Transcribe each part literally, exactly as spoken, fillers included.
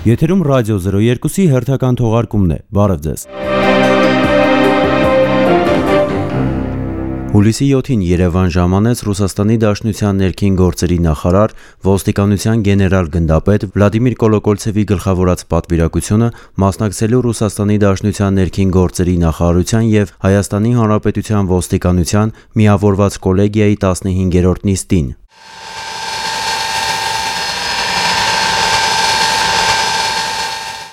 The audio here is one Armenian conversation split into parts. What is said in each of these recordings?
Եթերում ռադիո զրո երկուսի հերթական թողարկումն է, բարև ձեզ։ Հուլիսի յոթին Երևան ժամանեց Ռուսաստանի Դաշնության ներքին գործերի նախարար, ոստիկանության գեներալ գնդապետ Վլադիմիր Կոլոկոլցևի գլխավորած պատվիրակությունը մասնակցելու Ռուսաստանի Դաշնության ներքին գործերի նախարարության և Հայաստանի Հանրապետության ոստիկանության միավորված կոլեգիայի տասնհինգերորդ նիստին։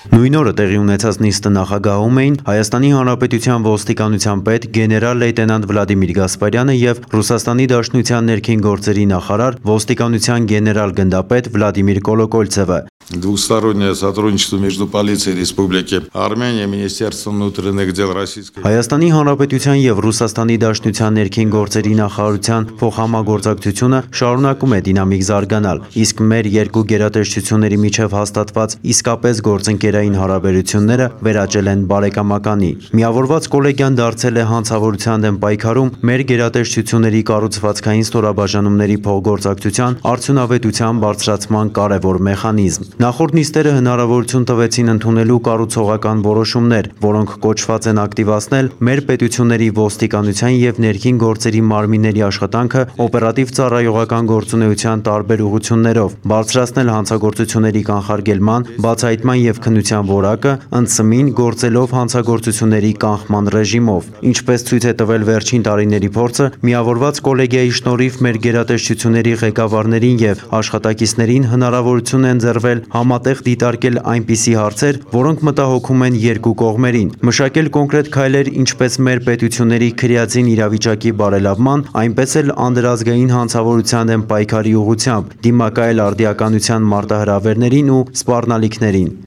Նույն օրը տեղի ունեցած նիստը նախագահում էին Հայաստանի Հանրապետության ոստիկանության պետ գեներալ լեյտենանտ Վլադիմիր Գասպարյանը և Ռուսաստանի Դաշնության ներքին գործերի նախարար, ոստիկանության գեներալ գնդապետ Վլադիմիր Կոլոկոլցևը։ Двустороннее сотрудничество между полицией Республики Армения, Министерством внутренних дел Российской Հայաստանի Հանրապետության և Ռուսաստանի Դաշնության ներքին գործերի նախարարության փոխհամագործակցությունը շարունակում է դինամիկ զարգանալ, իսկ մեր երկու գերատեսչությունների միջև հաստատված իսկապես գործընկերային հարաբերությունները վերաճել են բարեկամականի։ Միավորված կոլեգիան դարձել է հանցավորության դեմ պայքարում մեր գերատեսչությունների կառուցվածքային ստորաբաժանումների փոխգործակցության արդյունավետության բարձրացման կարևոր մեխանիզմ։ Նախորդ նիստերը հնարավորություն տվեցին ընդունելու կառուցողական որոշումներ, որոնք կոչված են ակտիվացնել մեր պետությունների ոստիկանության և ներքին գործերի մարմինների աշխատանքը օպերատիվ ծառայողական գործունեության տարբեր ուղղություններով, բարձրացնել հանցագործությունների կանխարգելման, բացահայտման և քննության որակը, ընդսմին գործելով հանցագործությունների կանխման ռեժիմով։ Ինչպես ցույց է տվել վերջին տարիների փորձը, միավորված կոլեգիայի շնորհիվ մեր գերատեսչությունների ղեկավարներին և աշխատակիցներին հնարավորություն է ընձեռվել համատեղ դիտարկել այնպիսի հարցեր, որոնք մտահոգում են երկու կողմերին, մշակել կոնկրետ քայլեր ինչպես մեր պետությունների քրեածին իրավիճակի բարելավման, այնպես էլ անդրազգային հանցավորության դեմ պայքարի ուղղությամբ, դիմակայել արդիականության մարտահրավերներին ու սպառնալիքներին։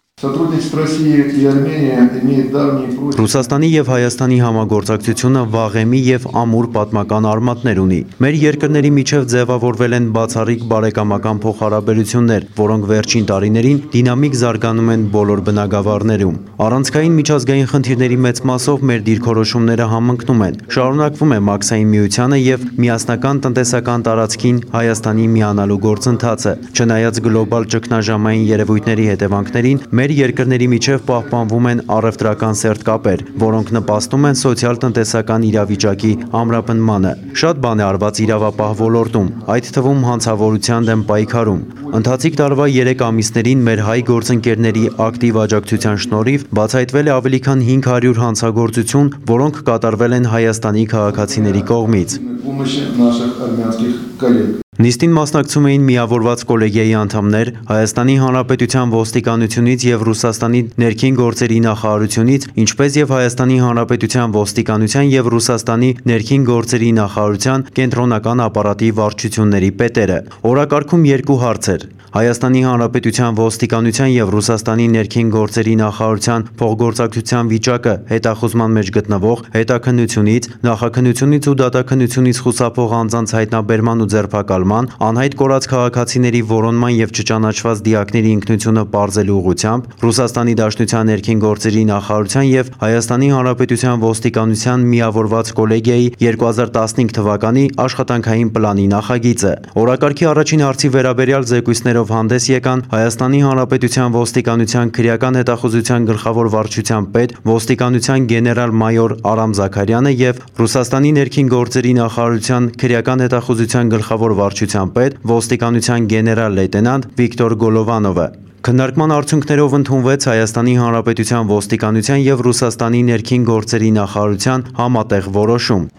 Ռուսաստանի և Հայաստանի համագործակցությունը վաղեմի և ամուր պատմական արմատներ ունի։ Մեր երկրների միջև ձևավորվել են բացառիկ բարեկամական փոխհարաբերություններ, որոնք վերջին տարիներին դինամիկ զարգանում են բոլոր բնագավառներում։ Առանցքային միջազգային խնդիրների մեծ մասով մեր դիրքորոշումները համընկնում են։ Շարունակվում է Մաքսային միությանը և միասնական տնտեսական տարածքին Հայաստանի միանալու գործընթացը։ Չնայած գլոբալ ճգնաժամային երևույթների հետևանքներին, մեր երկրների միջև պահպանվում են առևտրական սերտ կապեր, որոնք նպաստում են սոցիալ-տնտեսական իրավիճակի ամրապնդմանը։ Շատ բան է արված իրավապահ ոլորտում, այդ թվում հանցավորության դեմ պայքարում։ Ընթացիկ տարվա երեք ամիսներին մեր հայ գործընկերների ակտիվ աջակցության շնորհիվ բացահայտվել է ավելի քան հինգ հարյուր հանցագործություն, որոնք կատարվել են Հայաստանի քաղաքացիների կողմից։ Նիստին մասնակցում էին միավորված կոլեգիայի անդամներ, Հայաստանի Հանրապետության ոստիկանությունից և Ռուսաստանի ներքին գործերի նախարարությունից, ինչպես և Հայաստանի Հանրապետության ոստիկանության և Ռուսաստանի ներքին գործերի նախարարության կենտրոնական ապարատի վարչությունների պետերը։ Օրակարգում երկու հարց էր։ Հայաստանի Հանրապետության ոստիկանության և Ռուսաստանի ներքին գործերի նախարարության փոխգործակցության վիճակը հետախուզման մեջ գտնվող հետաքննությունից, նախաքննությունից ու դատաքննությունից խուսափող անձանց հայտնաբերման ու ձերբակալման, անհայտ կորած քաղաքացիների որոնման և չճանաչված դիակների ինքնությունը պարզելու ուղղությամբ, Ռուսաստանի Դաշնության ներքին գործերի նախարարության և Հայաստանի Հանրապետության ոստիկանության միավորված կոլեգիայի երկու հազար տասնհինգ թվականի աշխատանքային պլանի նախագիծը։ Օրակարգի առաջին հարցի վերաբերյալ զեկույցներով հանդես եկան Հայաստանի Հանրապետության ոստիկանության քրեական հետախուզության գլխավոր վարչության պետ, ոստիկանության գեներալ-մայոր Արամ Զաքարյանը և Ռուսաստանի ներքին գործերի նախարարության քրեական հետախուզության գլխավոր վարչության պետ, ոստիկանության գեներալ լեյտենանտ Վիկտոր Գոլովանովը։ Քննարկման արդյունքներով ընդունվեց Հայաստանի Հանրապետության ոստիկանության և Ռուսաստանի ներքին գործերի նախարարության համատեղ որոշում։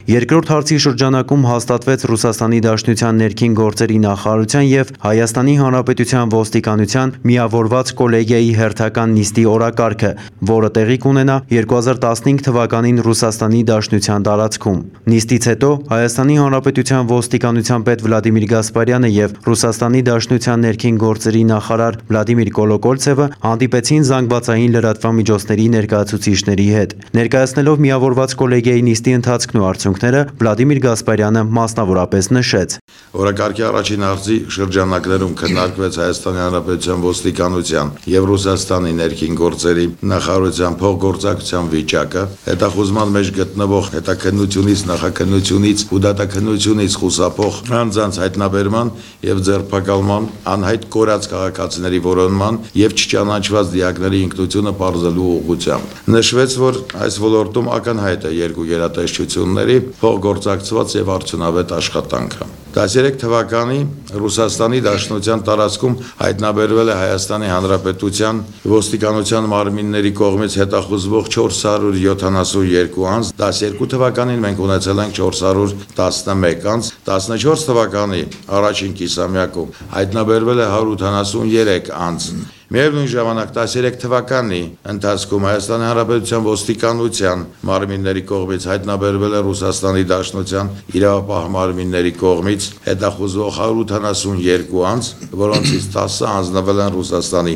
Երկրորդ հարցի շրջանակում հաստատվեց Ռուսաստանի Դաշնության ներքին գործերի նախարարության և Հայաստանի Հանրապետության ոստիկանության միավորված կոլեգիայի հերթական նիստի օրակարգը, որը տեղի կունենա երկու հազար տասնհինգ թվականին Ռուսաստանի Դաշնության տարածքում։ Նիստից հետո Հայաստանի Հանրապետության ոստիկանության պետ Վլադիմիր Գասպարյանը և Ռուսաստանի Դաշնության ներքին գործերի նախարար Վլադիմիր Կոլոկոլցևը հանդիպեցին զանգվածային լրատվամիջոցների ներկայացուցիչների հետ։ Ներկայացնելով միավորված կոլեգիայի նիստի ընթացքն ու արդյունքները, արդյունքները Վլադիմիր Գասպարյանը մասնավորապես նշեց. Օրակարգի առաջին արձի շրջանակներում քննարկվեց Հայաստանի Հանրապետության ոստիկանության եւ Ռուսաստանի ներքին գործերի նախարարության փոխգործակցության վիճակը, հետախուզման մեջ գտնվող հետաքննությունից, նախաքննությունից ու դատաքննությունից խուսափող անձանց հայտնաբերման եւ ձերբակալման, անհայտ կորած քաղաքացիների որոնման եւ չճանաչված դիակների ինքնությունը պարզելու ուղղությամբ։ Նշվեց, որ այս ոլորտում ակնհայտ է երկու գերատեսչությունների փոխգործակցված եւ արդյունավետ աշխատանքը։ տասներեք թվականի Ռուսաստանի Դաշնության տարածքում հայտնաբերվել է Հայաստանի Հանրապետության ոստիկանության մարմինների կողմից հետախուզվող չորս հարյուր յոթանասունյոթ անձ, տասներկու թվականին մենք ունեցել ենք չորս հարյուր տասնմեկ անձ, տասնչորս թվականի առաջին կիսամյակում հայտնաբերվել է հարյուր ութանասուներեք անձ։ Միևնույն ժամանակ տասներեք թվականի ընթացքում Հայաստանի Հանրապետության ոստիկանության մարմինների կողմից հայտնաբերվել է Ռուսաստանի Դաշնության իրավապահ մարմինների կողմից հետախուզվող հարյուր ութանասունյոթ անձ, որոնցից տասը հանձնվել են Ռուսաստանի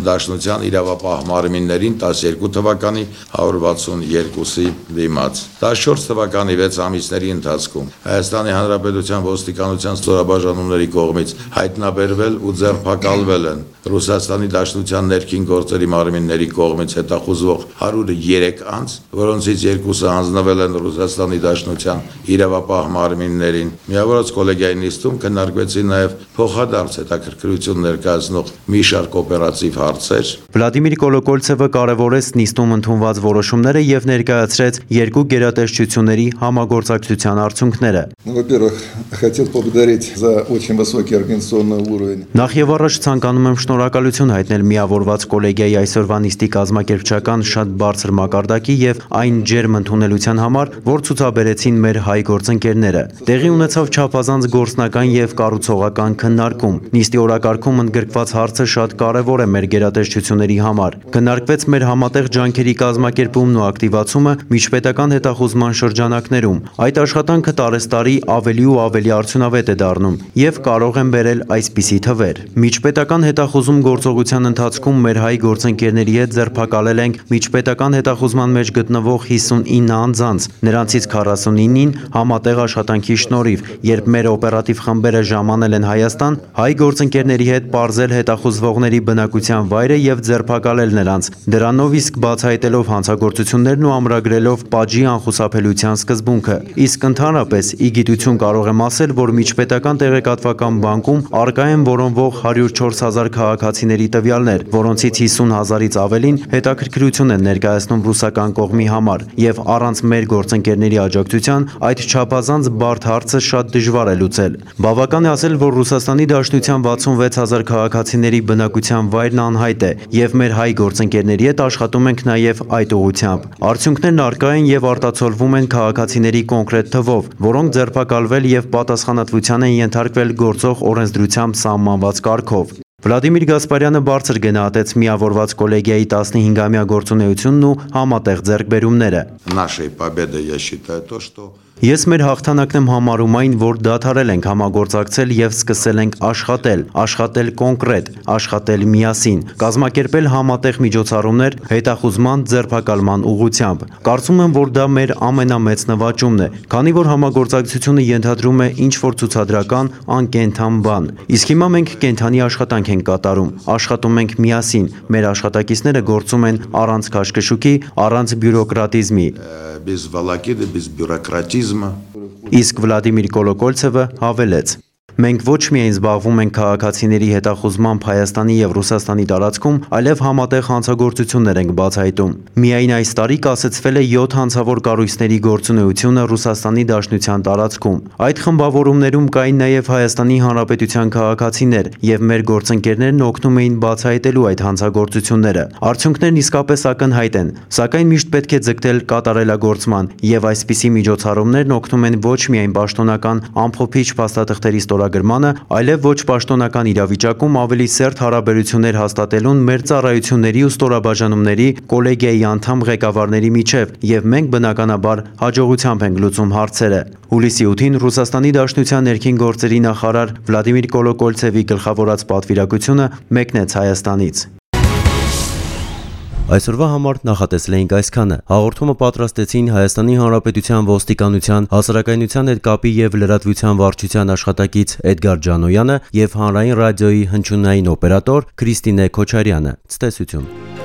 Դաշնության իրավապահ մարմիններին տասներկու թվականի հարյուր վաթսունյոթի դիմաց։ տասնչորս թվականի վեց ամիսների ընթացքում Հայաստանի Հանրապետության ոստիկանության ստորաբաժանումների կողմից հայտնաբերվել ու ձերբակալվել են Ռուսաստանի Դաշնության ներքին գործերի մարմինների կողմից հետախուզվող հարյուր երեք անձ, որոնցից երկուսը հանձնվել են Ռուսաստանի Դաշնության իրավապահ մարմիններին։ Միավորած կոլեգիայի նիստում քննարկվեցին նաև փոխադարձ հետաքրքրություն ներկայացնող մի շարք օպերատիվ հարցեր։ Վլադիմիր Կոլոկոլցևը կարևորեց նիստում ընդունված որոշումները եւ ներկայացրեց երկու գերատեսչությունների համագործակցության արդյունքները։ Во-первых, хотел поблагодарить за очень высокий организационный уровень. Նախ եւ առաջ ցանկանում եմ շնորհակալություն հայտնել միավորված կոլեգիայի այսօրվա նիստի կազմակերպչական շատ բարձր մակարդակի եւ այն ջերմ ընդունելության համար, որ ցուցաբերեցին մեր հայ գործընկերները։ Տեղի ունեցավ չափազանց գործնական եւ կառուցողական քննարկում։ Նիստի օրակարգում ընդգրկված հարցը շատ կարեւոր է մեր գերատեսչությունների համար։ Քննարկվեց մեր համատեղ ջանքերի կազմակերպումն ու ակտիվացումը միջպետական հետախուզման շրջանակներում։ Այդ աշխատանքը տարեստարի ավելի ու ավելի արդյունավետ է դառնում եւ կարող են բերել այսպիսի թվեր։ Միջպետական հետախուզում գործողության ընթացքում մեր հայ գործընկերների հետ ձերբակալել ենք միջպետական հետախուզման մեջ գտնվող հիսունինը անձանց, նրանցից քառասունինին համատեղ աշխատանքի շնորհիվ, երբ մեր օպերատիվ խմբերը ժամանել են Հայաստան, հայ գործընկերների հետ պարզել հետախուզվողների բնակության վայրը եւ ձերբակալել նրանց, դրանով իսկ բացահայտելով հանցագործություններն ու ամրագրելով պատժի անխուսափելիության սկզբունքը։ Իսկ ընդհանրապես ի գիտություն կարող եմ ասել, որ միջպետական տեղեկատվական բանկում արկա են որոնվող հարյուր չորս հազար քաղաքացիների տվյալներ, որոնցից հիսուն հազարից ավելին հետաքրքրություն են ներկայացնում ռուսական կողմի համար, եւ առանց մեր գործընկերների աջակցության այդ չափազանց բարդ հարցը շատ դժվար է լուծել։ Բավական է ասել, որ Ռուսաստանի Դաշնության վաթսունվեց հազար քաղաքացիների բնակության վայրն անհայտ է, եւ մեր հայ գործընկերների հետ աշխատում ենք նաեւ այդ ուղղությամբ։ Արդյունքներն արկա են եւ արտացոլվում են քաղաքացիների կոնկրետ թվով, որոնք ձերբակալվել եւ պատասխանատվության են ենթարկվել գործող օրենսդրությամբ սահմանված կարգով։ Վլադիմիր Գասպարյանը բարձր գնահատեց միավորված կոլեգիայի տասնհինգամյա գործունեությունն ու համատեղ ձեռքբերումները։ Нашей победой я считаю то, что Ես մեր հաղթանակն եմ համարում այն, որ դադարել ենք համագործակցել եւ սկսել ենք աշխատել, աշխատել կոնկրետ, աշխատել միասին, կազմակերպել համատեղ միջոցառումներ հետախուզման ձերբակալման ուղղությամբ։ Կարծում եմ, որ դա մեր ամենամեծ նվաճումն է, քանի որ համագործակցությունը ենթադրում է ինչ-որ ցուցադրական, անկենդան բան։ Իսկ հիմա մենք կենդանի աշխատանք ենք կատարում, աշխատում ենք միասին, մեր աշխատակիցները գործում են առանց քաշքշուկի, առանց բյուրոկրատիզմի։ без волокиты, без бюрократизма. Իսկ Վլադիմիր Կոլոկոլցևը հավելեց. Մենք ոչ միայն զբաղվում ենք քաղաքացիների հետախուզմամբ Հայաստանի եւ Ռուսաստանի տարածքում, այլև համատեղ հանցագործություններ ենք բացահայտում։ Միայն այս տարի կասեցվել է յոթ հանցավոր կառույցների գործունեությունը Ռուսաստանի Դաշնության տարածքում։ Այդ խմբավորումներում կային նաեւ Հայաստանի Հանրապետության քաղաքացիներ, եւ մեր գործընկերներն օգնում էին բացահայտելու այդ հանցագործությունները։ Արդյունքներն իսկապես ակնհայտ են, սակայն միշտ պետք է ձգտել կատարելագործման, եւ այսպիսի միջոցառումներն օգնում են ոչ միայն պաշտոնական ամփոփիչ փաստաթղթերի ստորագրմանը, այլև ոչ պաշտոնական իրավիճակում ավելի սերտ հարաբերություններ հաստատելուն մեր ծառայությունների ու ստորաբաժանումների կոլեգիայի անդամ ղեկավարների միջև, եւ մենք բնականաբար հաջողությամբ ենք լուծում հարցերը։ Հուլիսի ութին Ռուսաստանի Դաշնության ներքին գործերի նախարար Վլադիմիր Կոլոկոլցևի գլխավորած պատվիրակությունը մեկնեց Հայաստանից։ Այսօրվա համար նախատեսել էինք այսքանը։ Հաղորդումը պատրաստեցին Հայաստանի Հանրապետության ոստիկանության հասարակայնության հետ կապի եւ լրատվության վարչության աշխատակից Էդգար Ջանոյանը եւ Հանրային ռադիոյի հնչյունային օպերատոր Քրիստինե Քոչարյանը։ Ցտեսություն։